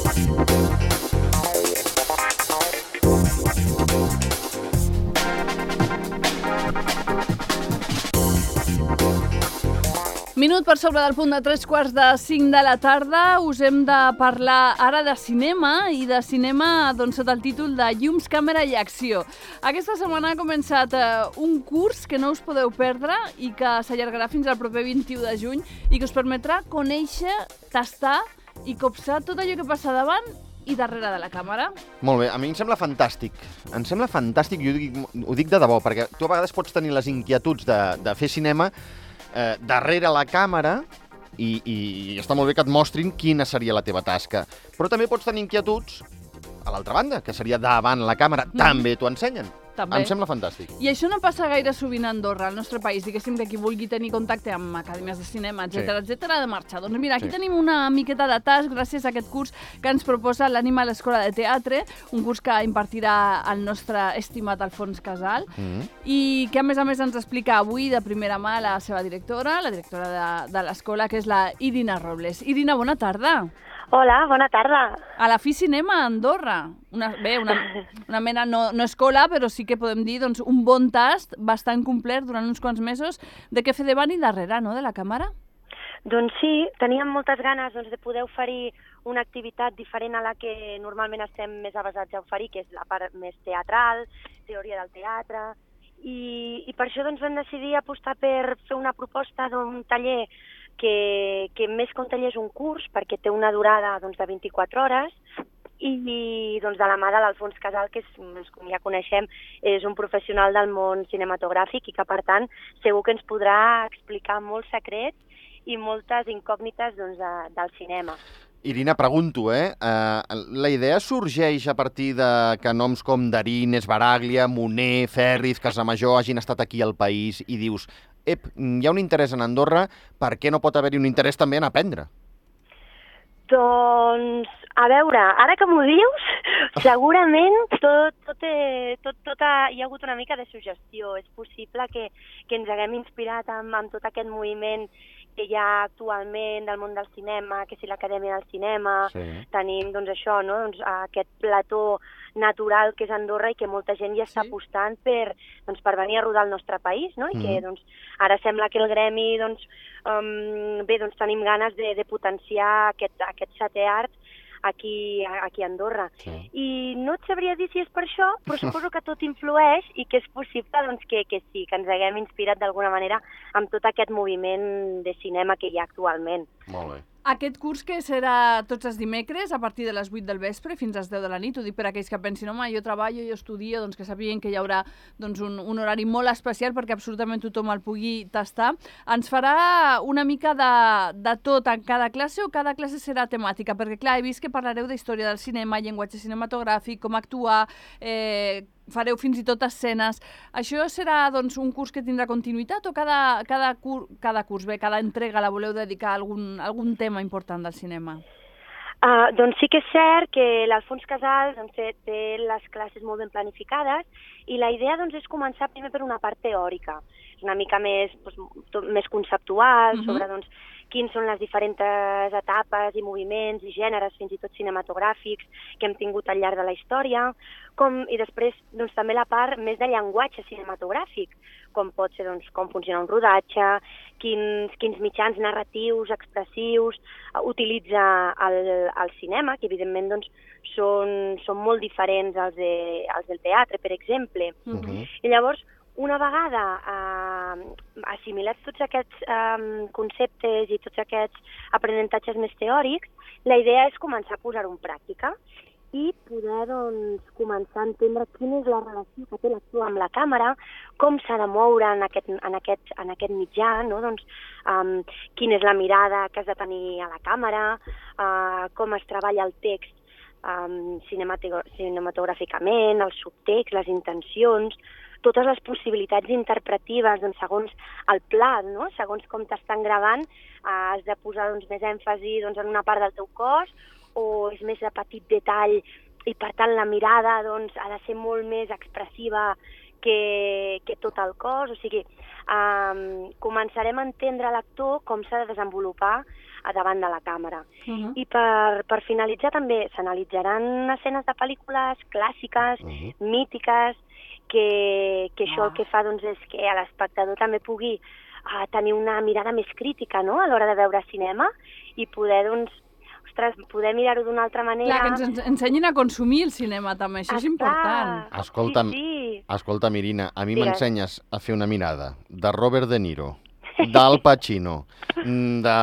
Minut per sobre del punt de 3:45 de la tarda. Us hem de parlar ara de cinema, i de cinema sota el títol de Llums, càmera i acció. Aquesta setmana ha començat un curs que no us podeu perdre i que s'allargarà fins al proper 21 de juny i que us permetrà conèixer, tastar i copsar tot allò que passa davant i darrere de la càmera. Molt bé, a mi em sembla fantàstic. Em sembla fantàstic, i ho dic de debò, perquè tu a vegades pots tenir les inquietuds de fer cinema darrere la càmera i està molt bé que et mostrin quina seria la teva tasca. Però també pots tenir inquietuds a l'altra banda, que seria davant la càmera. També t'ho ensenyen. També. Em sembla fantàstic. I això no passa gaire sovint a Andorra, al nostre país. Diguéssim que qui vulgui tenir contacte amb acadèmies de cinema, etc ha de marxar. Doncs mira, aquí tenim una miqueta de tas gràcies a aquest curs que ens proposa l'Ànima a l'Escola de Teatre, un curs que impartirà el nostre estimat Alfons Casal, i que a més ens explica avui de primera mà la seva directora, la directora de l'escola, que és la Irina Robles. Irina, bona tarda. Hola, bona tarda. A la Fi Cinema a Andorra. Una mena, no escola, però sí que podem dir un bon tast bastant complet durant uns quants mesos de què fer davant i darrere, no?, de la càmera. Doncs sí, teníem moltes ganes de poder oferir una activitat diferent a la que normalment estem més avasats a oferir, que és la part més teatral, teoria del teatre, i per això vam decidir apostar per fer una proposta d'un taller que més que un taller és un curs, perquè té una durada de 24 hores, i de la mà de l'Alfons Casal, que com ja coneixem, és un professional del món cinematogràfic i que, per tant, segur que ens podrà explicar molts secrets i moltes incògnites del cinema. Irina, pregunto, la idea sorgeix a partir de que noms com Darín, Esbaraglia, Moner, Ferriz, Casamajor hagin estat aquí al país i dius, hi ha un interès en Andorra, per què no pot haver-hi un interès també en aprendre? Doncs, a veure, ara que m'ho dius, segurament hi ha hagut una mica de suggestió. És possible que ens haguem inspirat amb tot aquest moviment que hi ha actualment del món del cinema, que si l'Acadèmia del Cinema, tenim aquest plató natural que és Andorra i que molta gent ja està apostant per venir a rodar al nostre país, no? I que ara sembla que el gremi tenim ganes de potenciar aquest setè art aquí a Andorra. I no et sabria dir si és per això, però suposo que tot influeix i que és possible que sí, que ens haguem inspirat d'alguna manera amb tot aquest moviment de cinema que hi ha actualment. Molt bé. Aquest curs que serà tots els dimecres a partir de les 8 del vespre fins a les 10 de la nit, ho dic per aquells que pensin, home, jo treballo, jo estudio, que sapiguin que hi haurà un horari molt especial perquè absolutament tothom el pugui tastar. Ens farà una mica de tot en cada classe, o cada classe serà temàtica? Perquè, clar, he vist que parlareu d'història del cinema, llenguatge cinematogràfic, com actuar, fareu fins i tot escenes. Això serà un curs que tindrà continuïtat o cada curs, cada entrega la voleu dedicar a algun tema important del cinema? Doncs sí que és cert que l'Alfons Casal té les classes molt ben planificades i la idea és començar primer per una part teòrica, una mica més conceptual, sobre quins són les diferents etapes i moviments i gèneres, fins i tot cinematogràfics, que hem tingut al llarg de la història, i després també la part més de llenguatge cinematogràfic, com pot ser com funciona un rodatge, quins mitjans narratius, expressius utilitza el cinema, que evidentment són molt diferents als del teatre, per exemple. I llavors, una vegada assimilats tots aquests conceptes i tots aquests aprenentatges més teòrics, la idea és començar a posar-ho en pràctica i poder començar a entendre quina és la relació que té l'actor amb la càmera, com s'ha de moure en aquest mitjà, quina és la mirada que has de tenir a la càmera, com es treballa el text cinematogràficament, el subtext, les intencions, totes les possibilitats interpretatives segons el pla, segons com t'estan gravant, has de posar més èmfasi en una part del teu cos o és més de petit detall i per tant la mirada ha de ser molt més expressiva que tot el cos. O sigui, començarem a entendre l'actor com s'ha de desenvolupar a davant de la càmera. I per finalitzar també s'analitzaran escenes de pel·lícules clàssiques, mítiques, que això el que fa doncs, és que l'espectador també pugui tenir una mirada més crítica, no?, a l'hora de veure cinema i poder, doncs, poder mirar-ho d'una altra manera. Clar, que ens ensenyin a consumir el cinema també, això és important. Escolta'm, Irina, a mi m'ensenyes a fer una mirada de Robert De Niro, d'Al Pacino, de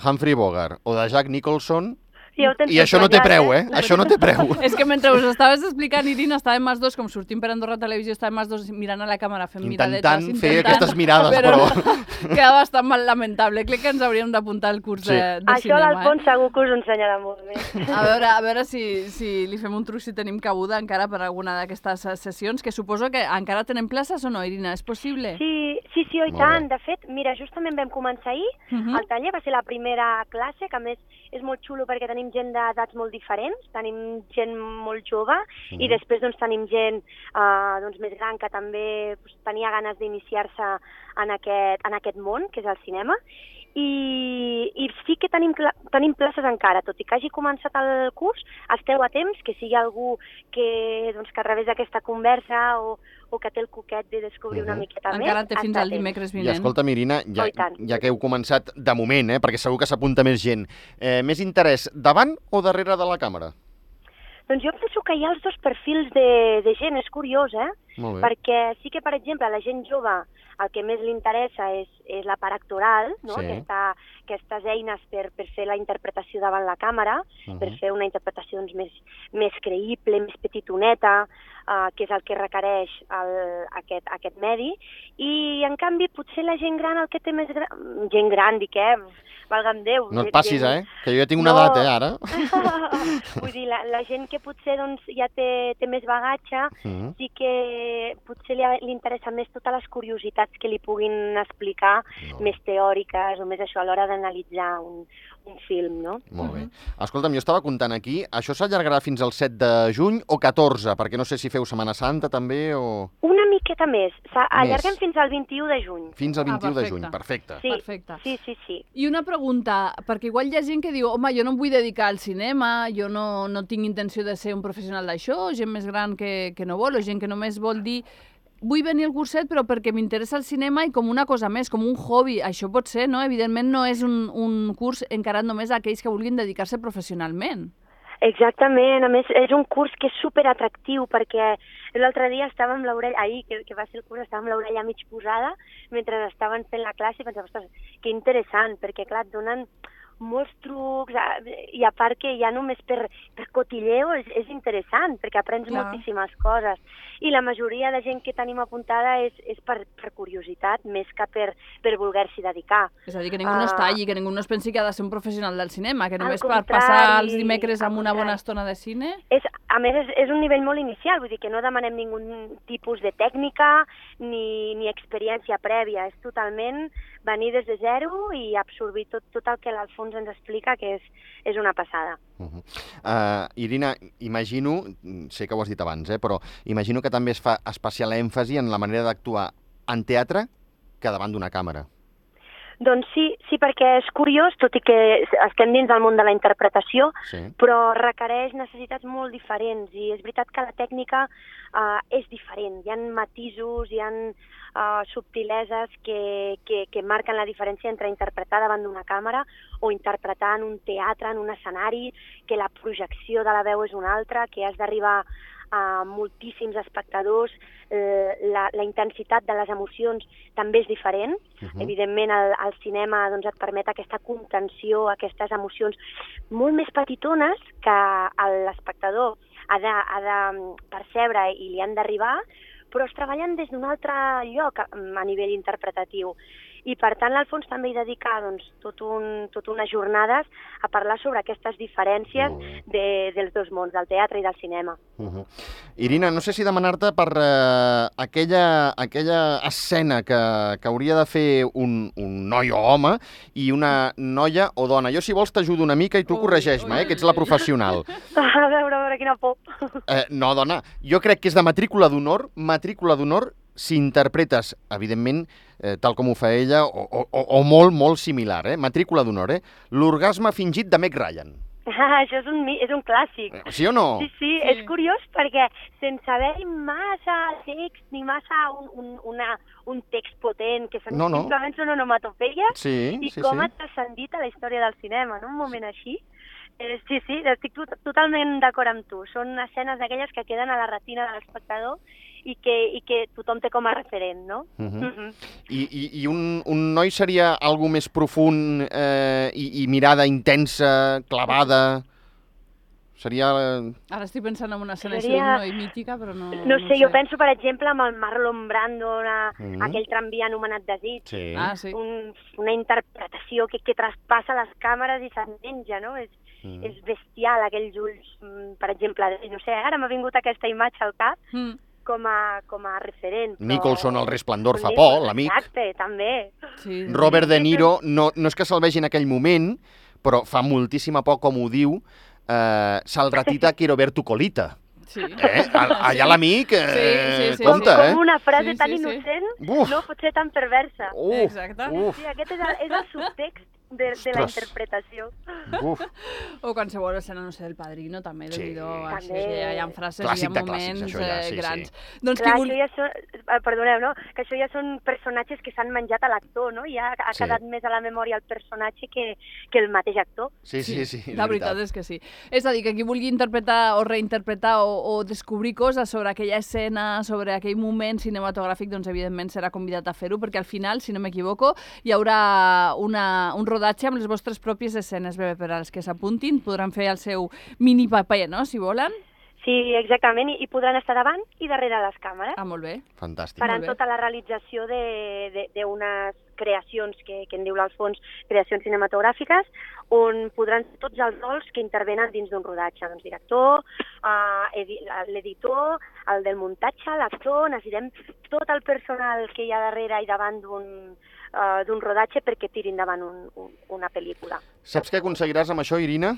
Humphrey Bogart o de Jack Nicholson, i això no té preu, Això no té preu. És que mentre us estaves explicant, Irina, estàvem els dos, com sortim per Andorra Televisió, estàvem els dos mirant a la càmera fent miradetes. Intentant fer aquestes mirades, però... Queda bastant mal lamentable. Crec que ens hauríem d'apuntar al curs de cinema. Això l'Alfons segur que us ensenyarà molt bé. A veure si li fem un truc, si tenim cabuda encara per alguna d'aquestes sessions, que suposo que encara tenen places o no, Irina? És possible? Sí, i tant. De fet, mira, justament vam començar ahir, el taller va ser la primera classe, que a més és molt xulo perquè tenim gent d'edats molt diferents, tenim gent molt jove i després doncs, tenim gent més gran que també tenia ganes d'iniciar-se en aquest món, que és el cinema. I sí que tenim places encara, tot i que hagi començat el curs, esteu a temps, que sigui algú que a través d'aquesta conversa o que té el coquet de descobrir una miqueta més. Encara té fins al dimecres vinent. I escolta'm, Irina, ja que heu començat de moment, perquè segur que s'apunta més gent, més interès davant o darrere de la càmera? Doncs jo penso que hi ha els dos perfils de gent, és curiós, Molt bé. Perquè sí que, per exemple, a la gent jove el que més li interessa és la part actoral, no? Aquestes eines per fer la interpretació davant la càmera, per fer una interpretació doncs, més creïble, més petitoneta, que és el que requereix aquest medi. I, en canvi, potser la gent gran el que té més... Gent gran, dic, valga'm Déu. No et passis, que jo ja tinc una edat, ara. Vull dir, la gent que potser doncs, ja té més bagatge, sí que potser li interessa més totes les curiositats que li puguin explicar, més teòriques o més això a l'hora d'analitzar un film, no? Molt bé. Escolta'm, jo estava comptant aquí, això s'allargarà fins al 7 de juny o 14? Perquè no sé si feu Setmana Santa també o... Una miqueta més. Allarguem fins al 21 de juny. Fins al 21 de juny, perfecte. Sí. I una pregunta, perquè igual hi ha gent que diu home, jo no em vull dedicar al cinema, jo no tinc intenció de ser un professional d'això, gent més gran que no vol, o gent que només vol dir vull venir al curset però perquè m'interessa el cinema i com una cosa més, com un hobby. Això pot ser, no? Evidentment no és un curs encarat només a aquells que vulguin dedicar-se professionalment. Exactament, a més és un curs que és superatractiu perquè l'altre dia estava amb l'orella, ahir que va ser el curs, estava amb l'orella mig posada mentre estaven fent la classe i pensava, ostres, que interessant, perquè clar, et donen molts trucs i a part que ja només per cotilleo és interessant perquè aprens moltíssimes coses i la majoria de gent que tenim apuntada és per curiositat més que per voler-s'hi dedicar. És a dir, que ningú no es talli, que ningú no es pensi que ha de ser un professional del cinema, que només per passar els dimecres amb una bona estona de cine... A més, és un nivell molt inicial, vull dir que no demanem ningú tipus de tècnica ni experiència prèvia, és totalment venir des de zero i absorbir tot el que l'Alfons ens explica, que és una passada. Irina, imagino, sé que ho has dit abans, però imagino que també es fa especial èmfasi en la manera d'actuar en teatre que davant d'una càmera. Doncs sí, perquè és curiós, tot i que estem dins del món de la interpretació, però requereix necessitats molt diferents i és veritat que la tècnica és diferent. Hi ha matisos, hi ha subtileses que marquen la diferència entre interpretar davant d'una càmera o interpretar en un teatre, en un escenari, que la projecció de la veu és una altra, que has d'arribar a moltíssims espectadors, la intensitat de les emocions també és diferent. Evidentment, el cinema et permet aquesta contenció, aquestes emocions molt més petitones que l'espectador ha de percebre i li han d'arribar, però es treballen des d'un altre lloc a nivell interpretatiu. I, per tant, l'Alfons també hi dedica tot unes jornades a parlar sobre aquestes diferències dels dos mons, del teatre i del cinema. Irina, no sé si demanar-te per aquella escena que hauria de fer un noi o home i una noia o dona. Jo, si vols, t'ajudo una mica i tu corregeix-me, que ets la professional. A veure, quina por. No, dona, jo crec que és de matrícula d'honor si interpretes, evidentment, tal com ho fa ella, o molt, molt similar, matrícula d'honor, l'orgasme fingit de Meg Ryan. Això és un clàssic. Sí o no? Sí, és curiós perquè sense haver-hi massa text ni massa un text potent, que simplement són onomatopeies, com ha transcendit a la història del cinema, en un moment així. Sí, estic totalment d'acord amb tu. Són escenes d'aquelles que queden a la retina de l'espectador i que tothom té com a referent, no? I un noi seria algo més profund i mirada intensa, clavada? Seria... Ara estic pensant en una escena d'un noi mítica, però no... No sé, jo penso, per exemple, amb el Marlon Brando, aquell tramvia anomenat Desig. Sí. Una interpretació que traspassa les càmeres i se'n menja, no? És bestial, aquells ulls, per exemple. No sé, ara m'ha vingut aquesta imatge al cap com a referent. Però... Nicholson, El resplendor fa por, l'amic. Exacte, també. Sí. Robert De Niro, no és que se'l vegi en aquell moment, però fa moltíssima por, com ho diu, se'l ratita Quiero ver tu colita. Sí. Allà l'amic, compte, Com una frase tan innocent no pot ser tan perversa. Exacte. Sí, aquest és el subtext de la interpretació. O qualsevol escena, no sé, del Padrino, també, hi ha frases, hi ha moments grans. Doncs clar, perdoneu, no? Que això ja són personatges que s'han menjat a l'actor, no? Ja ha quedat més a la memòria el personatge que el mateix actor. Sí, la veritat és que sí. És a dir, que qui vulgui interpretar o reinterpretar o descobrir coses sobre aquella escena, sobre aquell moment cinematogràfic, doncs evidentment serà convidat a fer-ho, perquè al final, si no m'equivoco, hi haurà un rodatge amb les vostres pròpies escenes, per als que s'apuntin, podran fer el seu mini paper, no?, si volen. Sí, exactament, i podran estar davant i darrere les càmeres. Molt bé. Fantàstic. Faran tota la realització d'unes creacions, que en diu l'Alfons, creacions cinematogràfiques, on podran ser tots els rols que intervenen dins d'un rodatge. Doncs director, l'editor, el del muntatge, l'actor, necessitem tot el personal que hi ha darrere i davant d'un rodatge perquè tiri endavant una pel·lícula. Saps què aconseguiràs amb això, Irina?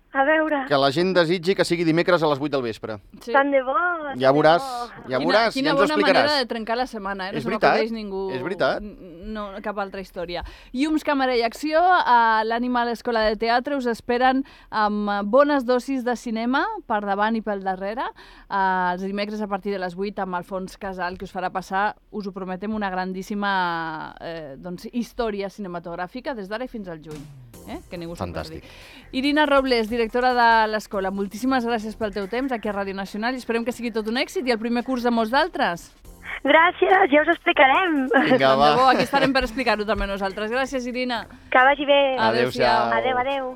A veure... Que la gent desitgi que sigui dimecres a les 8 del vespre. Sí. Tant de bo! Ja veuràs, ja ens ho explicaràs. Quina bona manera de trencar la setmana, És no veritat, se m'acudeix ningú... És veritat. No, cap altra història. Llums, càmera i acció, a l'Animal Escola de Teatre us esperen amb bones dosis de cinema per davant i pel darrere. Els dimecres a partir de les 8 amb Alfons Casal, que us farà passar, us ho prometem, una grandíssima història cinematogràfica des d'ara i fins al juny. Que ningú se'n perdi. Irina Robles, directora de l'escola, moltíssimes gràcies pel teu temps aquí a Ràdio Nacional i esperem que sigui tot un èxit i el primer curs de molts d'altres. Gràcies, ja us explicarem. Vinga, va. Aquí estarem per explicar-ho també nosaltres. Gràcies, Irina. Que vagi bé. Adéu-siau. Adéu.